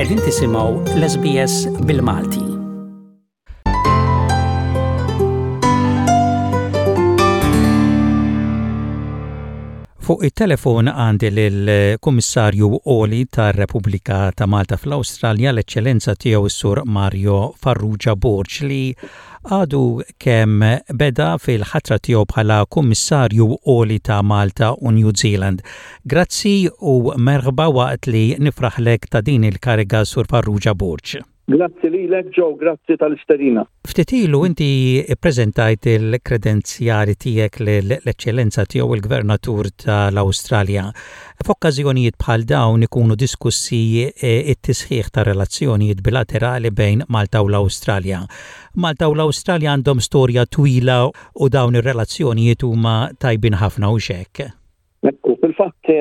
Qegħdin tisimgħu l-SBS bil-Malti. Fuq it-telefon għandi lill-Kummissarju Għoli tar-Repubblika ta' Malta fl-Awstralja, l-Eċċellenza Tiegħu s-Sur Mario Farrugia Borg li għadu kemm beda fil-ħatra tiegħu bħala Kummissarju Għoli ta' Malta u New Zealand. Grazzi u merħba waqt li nifraħlek ta' din il-kariga Sur Farrugia Borg. Grazzi lilek Joe, grazzi tal-istedina. Ftit ilu inti ppreżentajt il-kredenzjali tiegħek lill-Eċċellenza Tiegħu il-Gvernatur tal-Awstralja. F'okkażjonijiet bħal dawn ikunu diskussi t-tisħiħ tar-relazzjonijiet bilaterali bejn Malta u l-Awstralja. Malta u l-Awstralja għandhom storja twila u dawn ir-relazzjonijiet huma tajbin ħafna hux hekk? Ekku, fil-fatt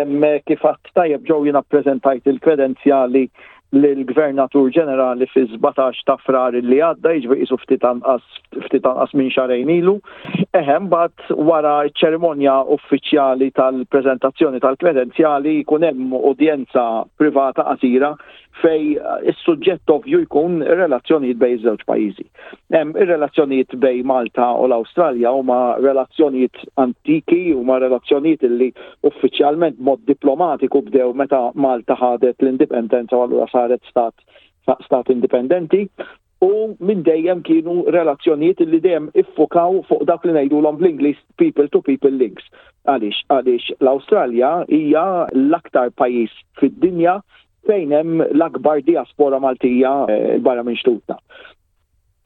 kif għadt tajjeb ġew jiena ppreżentajt il-kredenzjali lill-Gvernatur Ġenerali fi-17 ta' Frar li għadda, jiġifieri qisu ftit anqas ftit anqas minn xahrejn ilu. Eħe, mbagħad wara ċ-ċerimonja uffiċjali tal-preżentazzjoni tal-kredenzjali jkun hemm udjenza privata qasira fej is-suġġett ovvju jkun ir-relazzjonijiet bejn iż-żewġ pajjiżi. Ir-relazzjonijiet bejn Malta u l-Awstralja huma relazzjonijiet antiki, huma relazzjonijiet li uffiċjalment mod diplomatiku bdew meta Malta ħadet l-indipendenza u allura saret stat stat indipendenti u minn dejjem kienu relazzjonijiet li dejjem iffukaw fuq dak li ngħidulhom bl-Ingliż people to people links. Għaliex? Għaliex l-Awstralja hija l-aktar pajjiż fid-dinja fejn hemm l-akbar diaspora Maltija eh, barra minn xtutna.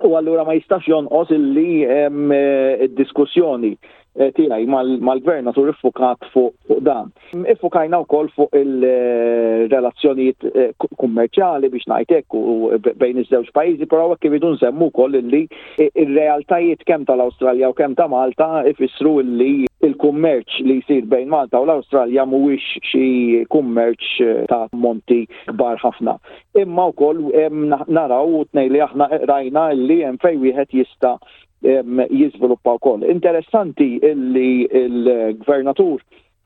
U allura ma jistax jonqos illi eh, id-diskussjoni eh, tiegħi mal-gvernatur iffukat fuq dan. Iffukajna wkoll fuq il-relazzjonijiet eh, kummerċjali biex ngħid hekk u bejn iż-żewġ pajjiżi, però hekk iridu nsemmu wkoll illi ir-realtajiet kemm tal-Awstralja u kemm ta' Malta ifissru illi il-kummerċ li jsir bejn Malta u l-Awstralja mhuwiex xi kummerċ ta' monti kbar ħafna. Imma wkoll naraw u tnej li aħna rajna illi hemm fejn wieħed jista' jiżviluppa wkoll. Interessanti illi l-Gvernatur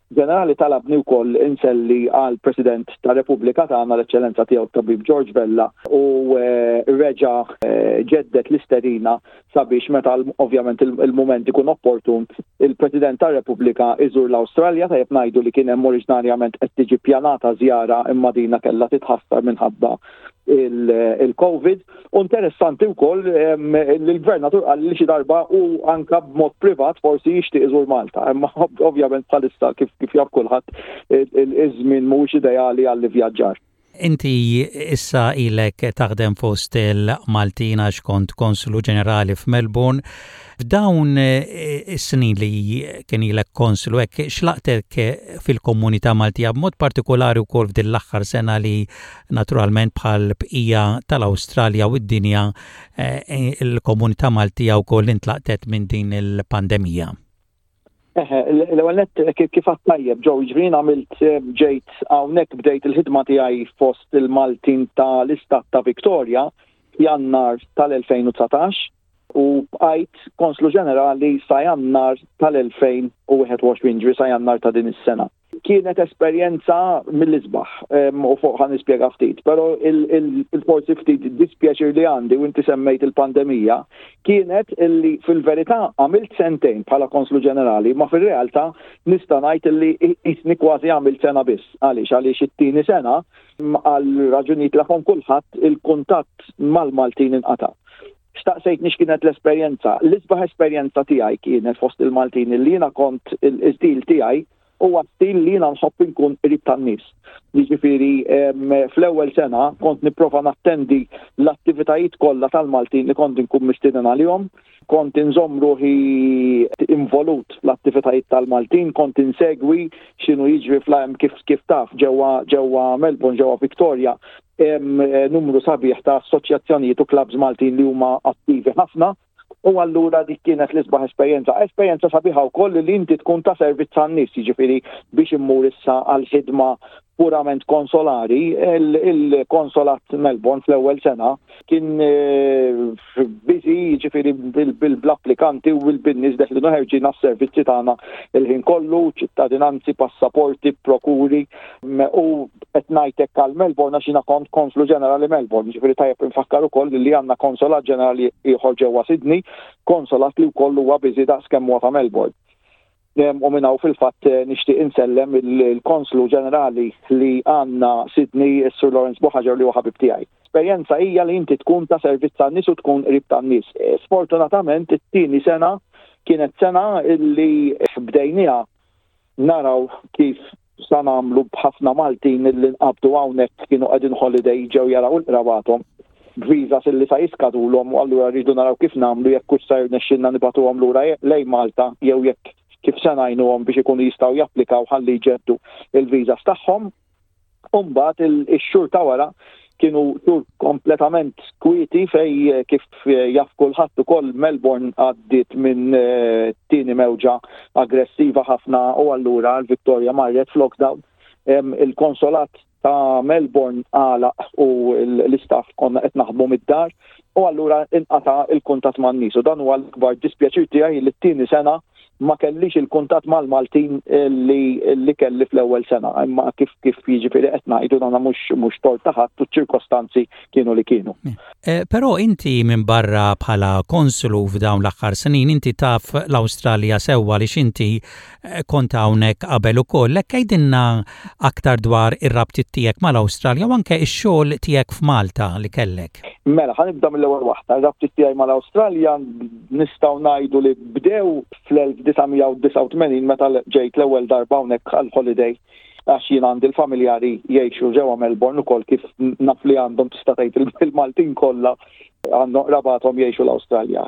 Ġenerali talabni wkoll inselli għal President tar-Repubblika tagħna l-Eċċellenza Tiegħu t-Tabib George Vella u eh, reġa' eh, ġeddet l-istedina sabiex meta ovvjament il-mument ikun opportun il-President tar-Repubblika iżur l-Awstralja tajjeb ngħidu li kien hemm oriġinarjament qed tiġi pjanata żjara imma dina kellha titħassar minħabba il-Covid. U interessanti wkoll li l-gvernatur qal li xi darba u anka b'mod privat forsi jixtieq iżur Malta. Imma ovvjament bħalissa kif kif jaf kulħadd iż-żmien mhuwiex ideali għall-ivvjaġġar. Inti issa ilek taħdem fost il-Maltin għax kont konslu ġenerali f'Melbourne. F'dawn is-snin li kien ilek konslu hekk x'laqtek fil-komunità Maltija b'mod partikolari wkoll f'din l-aħħar sena li Naturalment bħal bqija tal-Awstralja u d-dinja eh, il-komunità Maltija wkoll intlaqtet minn din il-pandemija. Eħe, l-ewwel nett kif għadt tajjeb ġew jiġifieri għamilt eh, ġejt hawnhekk bdejt il-ħidma tiegħi fost il-Maltin tal-Istat ta' Victoria f'Jannar tal-2019 u bqajt Konslu Ġenerali sa Jannar tal-2021, ġifieri sa Jannar ta' din is-sena. Kienet esperjenza mill-isbaħ u fuq ħa nispjega ftit, però il-forsi ftit dispjaċir li għandi u inti semmejt il-pandemija kienet illi fil-verità għamilt sentejn bħala Konslu Ġenerali, ma fir-realtà nista' ngħid illi qisni kważi għamilt sena biss. Għaliex? Għaliex it-tieni sena għal raġunijiet li jafhom kulħadd il-kuntatt mal-Maltin inqata'. Staqsejtni x'kienet l-esperjenza. L-isbaħ esperjenza tiegħi kienet fost il-Maltin li jiena kont il-stil tiegħi huwa stil li jiena nħobb inkun qrib tan-nies. Jiġifieri fl-ewwel sena kont nipprova nattendi l-attivitajiet kollha tal-Maltin li kont inkun mistieden għalihom, kont inżomm ruħi involut fl-attivitajiet tal-Maltin, kont insegwi x'inhu jiġri fl kif kif taf ġewwa ġewwa Melbourne, ġewwa Victoria, hemm eh, numru sabiħ ta' assoċjazzjonijiet u clubs Maltin li huma attivi ħafna u allura dik kienet l-isbaħ esperjenza. Esperjenza sabiħa wkoll li inti tkun ta' servizz għan-nies, jiġifieri biex immur issa għal ħidma purament konsolari, il-konsolat Melbourne fl-ewwel sena kien eh, busy jiġifieri bil-applikanti u bil-nies deħlin u ħerġin għas-servizzi tagħna il-ħin kollu, ċittadinanzi, passaporti, prokuri u qed ngħid hekk għal Melbourne għax jiena kont konslu ġenerali Melbourne, jiġifieri tajjeb infakkar ukoll li għandna konsolat ġenerali ieħor ġewwa Sydney, konsolat li wkoll huwa busy daqs kemm huwa ta' Melbourne. U minn hawn fil-fatt eh, nixtieq insellem il-Konslu Ġenerali li għandna Sydney, is-Sur Lawrence Buħaġar li huwa ħabib tiegħi. Esperjenza hija li inti tkun ta' servizz tan-nies u tkun qrib tan-nies. Eh, sfortunatament it-tieni sena kienet sena li bdejniha naraw kif sa nagħmlu b'ħafna Maltin illi nqabdu hawnhekk kienu qegħdin holiday ġew jaraw il-qrabathom b'visas illi sa jiskadulhom u allura rridu naraw kif nagħmlu jekk hux sa jirnexxilna nibagħtuhom lura lejn Malta jew jekk kif se ngħinuhom biex ikunu jistgħu japplikaw ħalli jġeddu il-visas tagħhom. U mbagħad ix-xhur ta' wara kienu xhur kompletament kwieti fej eh, kif eh, jaf kulħadd ukoll Melbourne għaddiet minn eh, tieni mewġa aggressiva ħafna u allura l-Victoria marret f'lockdown. Il-konsolat ta' Melbourne għalaq u l-istaff konna qed naħdmu mid-dar u allura inqata' il-kuntatt man-nies u dan huwa l-ikbar dispjaċir tiegħi li t-tieni sena ma kellix il-kuntatt mal-Maltin li, li kelli fl-ewwel sena, imma kif kif jiġifieri qed ngħidu dana mhux mhux tort ta' ħadd u ċ-ċirkostanzi kienu li kienu. Eh, però inti minn barra bħala konslu f'dawn l-aħħar snin inti taf l-Awstralja sewwa li inti eh, kont hawnhekk qabel ukoll. Hekk għidilna aktar dwar ir-rabtiet tiegħek mal-Awstralja u anke x-xogħol tiegħek f'Malta li kellek. Mela, ħa nibda mill-ewwel waħda. Ir-rabtiet tiegħi mal-Awstralja nistgħu ngħidu li bdew fl-1989 meta ġejt l-ewwel darba hawnhekk għal holiday għax jien għandi l-familjari jgħixu ġewwa Melbourne ukoll kif naf li għandhom tista' tgħid il-Maltin kollha għandhom qrabathom jgħixu l-Awstralja.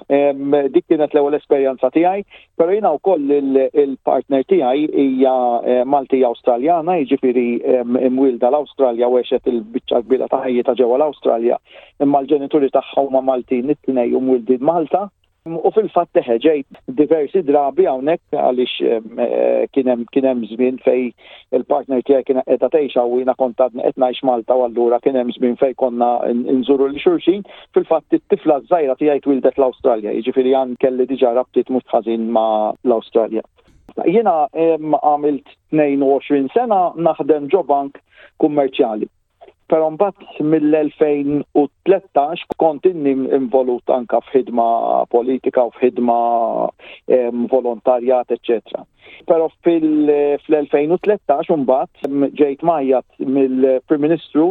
Dik kienet l-ewwel esperjenza tiegħi, però jiena wkoll il-partner tiegħi hija eh, Maltija Awstraljana, jiġifieri imwielda l-Awstralja u għexet il-biċċa kbira ta' ħajjitha ġewwa l-Awstralja, imma l-ġenituri tagħha huma Maltin it-tnejn u mwildin Malta. U fil-fatt eħe ġejt diversi drabi hawnhekk għaliex eh, kien hemm kien hemm żmien fej il-partner tiegħi kien qiegħda tgħix u jiena kont għadni qed ngħix Malta u allura kien hemm żmien fejn konna nżuru lil xulxin. Fil-fatt it-tifla żgħira tiegħi twildet l-Awstralja, jiġifieri għan kelli diġà rabtiet mhux ħażin ma' l-Awstralja. Jiena għamilt 22 sena naħdem ġo bank kummerċjali. Però mbagħad mill-2013 kont inni involut anka f'ħidma politika u f'ħidma volontarjat, eċċetera. Però fil-2013 mbagħad ġejt majjat mill-Prim Ministru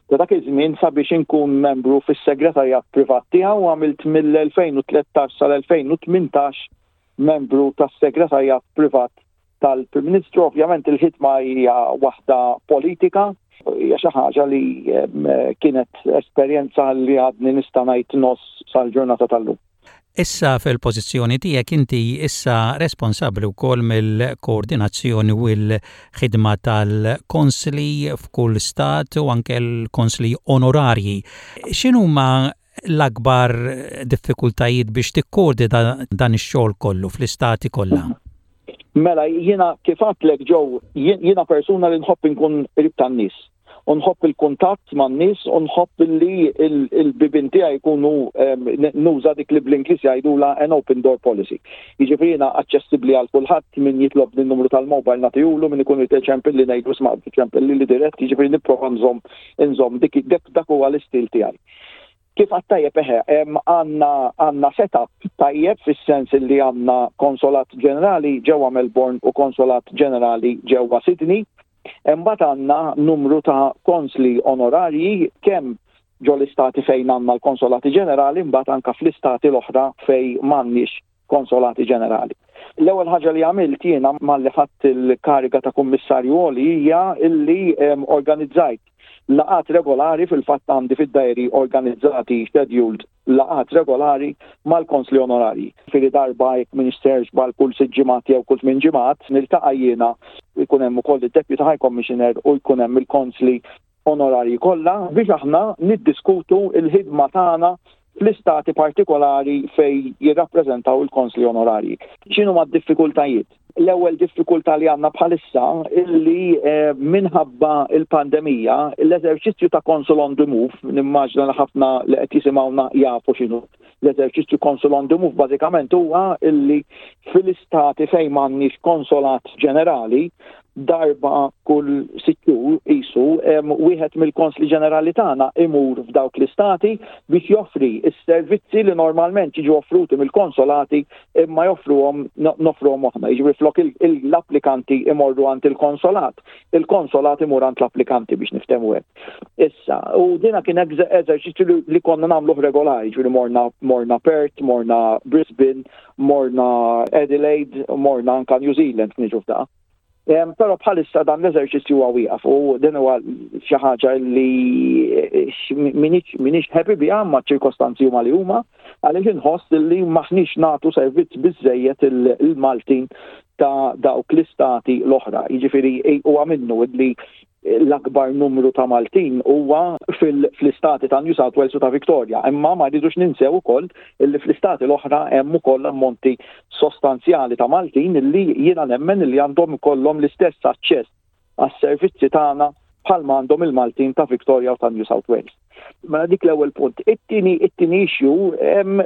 ta' dak iż-żmien sabiex inkun membru fis-segretarjat privat tiegħu u għamilt mill-2013 sal-2018 membru tas-segretarjat privat tal-Prim Ministru. Ovvjament il-ħidma hija waħda politika, hija xi ħaġa li kienet esperjenza li għadni nista' ngħid nos sal-ġurnata tal-lum. Issa fil-pożizzjoni tiegħek inti issa responsabbli wkoll mill-koordinazzjoni u l-ħidma tal-konsli f'kull stat u anke l-konsli onorarji. X'inhuma l-akbar diffikultajiet biex tikkoordina dan ix-xogħol kollu fl-istati kollha? Mela, jiena kif għedtlek Joe, jiena persuna li nħobb inkun qrib tan-nies. U nħobb il-kuntatt man-nies u nħobb li l-bibien tiegħi jkunu nuża dik li bl-Ingliż jgħidulha an open door policy. Jiġifieri jiena aċċessibbli għal kulħadd, min jitlobni n-numru tal-mobile nagħtihulu, min ikun irid iċempilli ngħidlu isma' ċempilli li dirett, jiġifieri nipprova nżomm inżomm dik dak huwa l-istil tiegħi. Kif għad tajjeb eħe, għandna għandna setup tajjeb fis-sens li għandna konsolat ġenerali ġewwa Melbourne u konsolat ġenerali ġewwa Sydney. Imbagħad għandna numru ta' konsli onorarji kemm ġo l-istati fejn għandna l-konsolati ġenerali mbagħad anka fl-istati l-oħra fejn m'għandniex konsolati ġenerali. L-ewwel ħaġa li għamilt jiena malli ħadt il-kariga ta' kummissarju għoli hija illi organizzajt laqgħat regolari fil-fatt għandi fid-diary organizzati scheduled laqgħat regolari mal-konsli onorarji. Fili darba jekk m'iniex bal kull sitt ġimgħat jew kull tmien ġimgħat niltaqa' jiena jkun hemm ukoll id-Deputy High Commissioner u jkun hemm il-konsli onorarji kollha biex aħna niddiskutu l-ħidma tagħna fl-istati partikolari fejn jirrappreżentaw il-konsli onorarji. X'inhuma d-diffikultajiet? L-ewwel diffikultà li għandna bħalissa illi eh, minħabba il-pandemija l-eżerċizzju ta' Consul on the Move, nimmaġna li ħafna li qed jisimgħuna jafu x'inhu l-eżerċizzju Consul on the Move bażikament huwa illi fil-istati fejn m'għandniex konsolat ġenerali darba kull sitt xhur qisu wieħed mill-konsli ġenerali tagħna imur f'dawk l-istati biex joffri s-servizzi li normalment jiġu offruti mill-konsolati imma joffruhom noffruhom aħna. Jiġifieri flok l-applikanti imorru għand il-konsolat, il-konsolat imur għand l-applikanti biex niftehmu hekk. Issa, u dina kien eżerċizzju li konna nagħmluh regolari, ġifieri morna morna Perth, morna Brisbane, morna Adelaide, morna anka New Zealand niġu f'da. Però bħalissa dan l-eżerċizzju huwa wieqaf u din huwa xi ħaġa li minix happy biha ma ċirkostanzi huma li huma għaliex inħoss li maħniex nagħtu servizz biżejjed il-Maltin ta' dawk l-istati l-oħra. Jiġifieri huwa minnu li l-akbar numru ta' Maltin huwa fl-istati ta' New South Wales u ta' Victoria, imma ma rridux ninsew ukoll illi fl-istati l-oħra hemm ukoll ammonti sostanzjali ta' Maltin illi jiena nemmen illi għandhom ikollhom l-istess aċċess għas-servizzi tagħna bħalma għandhom il-Maltin ta' Victoria u ta' New South Wales. Mela dik l-ewwel punt. It-tieni it-tieni issue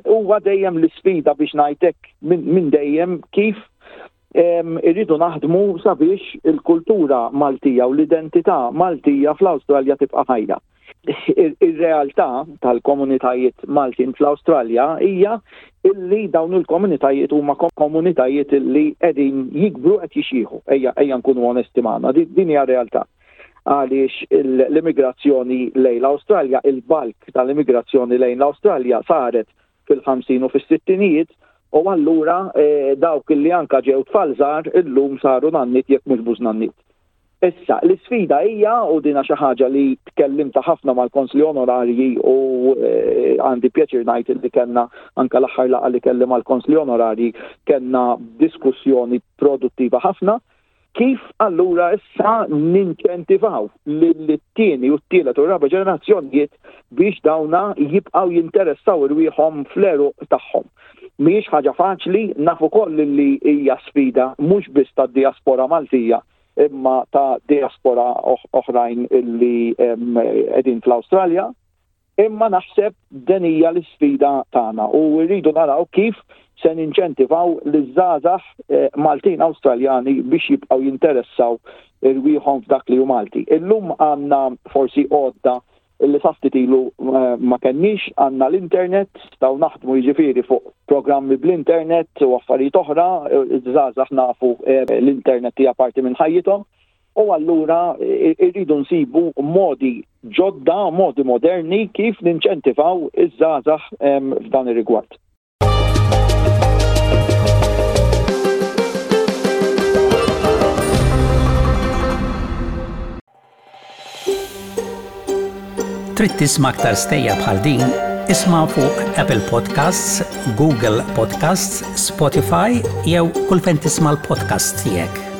huwa dejjem l-isfida biex ngħidlek minn dejjem kif irridu naħdmu sabiex il-kultura Maltija u l-identità Maltija fl-Awstralja tibqa' ħajja. Ir-realtà tal-komunitajiet Maltin fl-Awstralja hija illi dawn il-komunitajiet huma komunitajiet illi qegħdin jikbru qed jixjieħu. Ejja ejja nkunu onesti magħna, din hija realtà għaliex l-immigrazzjoni lejn l-Awstralja, il-bulk tal-immigrazzjoni lejn l-Awstralja saret fil-50 u fis-sittinijiet u allura eh, dawk li anka ġew tfal żgħar illum saru nannit jekk mhux bużnannit. Issa, l-isfida hija u dina xi ħaġa li tkellimta ħafna mal-konsli onorarji u eh, għandi pjaċir ngħid li kellna anka l-aħħar laqgħa li kelli mal-konsli onorarji kellna diskussjoni produttiva ħafna Kif allura issa ninċentivaw lit-tieni u t-tielet u r-raba' ġenerazzjonijiet biex dawna jibqgħu jinteressaw irwieħhom fl-għeruq tagħhom? Mhijiex ħaġa faċli, naf ukoll li hija sfida mhux biss tad-dijaspora Maltija imma ta' dijaspora oħrajn li qegħdin fl-Awstralja. Imma naħseb din hija l-isfida tagħna u rridu naraw kif se ninċentivaw liż-żgħażagħ eh, Maltin Awstraljani biex jibqgħu jinteressaw irwieħhom f'dak li hu Malti. Illum għandna forsi għodda li sa ftit ilu eh, ma kenniex għandna l-internet, staw naħdmu jiġifieri fuq programmi bl-internet u affarijiet oħra, eh, iż-żgħażagħ nafu l-internet hija parti minn ħajjithom. U allura irridu nsibu modi ġodda, modi moderni kif ninċentivaw iż-żgħażagħ f'dan ir-rigward. Trid tisma' aktar stejjer bħal din? Isma' fuq Apple Podcasts, Google Podcasts, Spotify jew kull fejn tisma' l-podcasts tiegħek.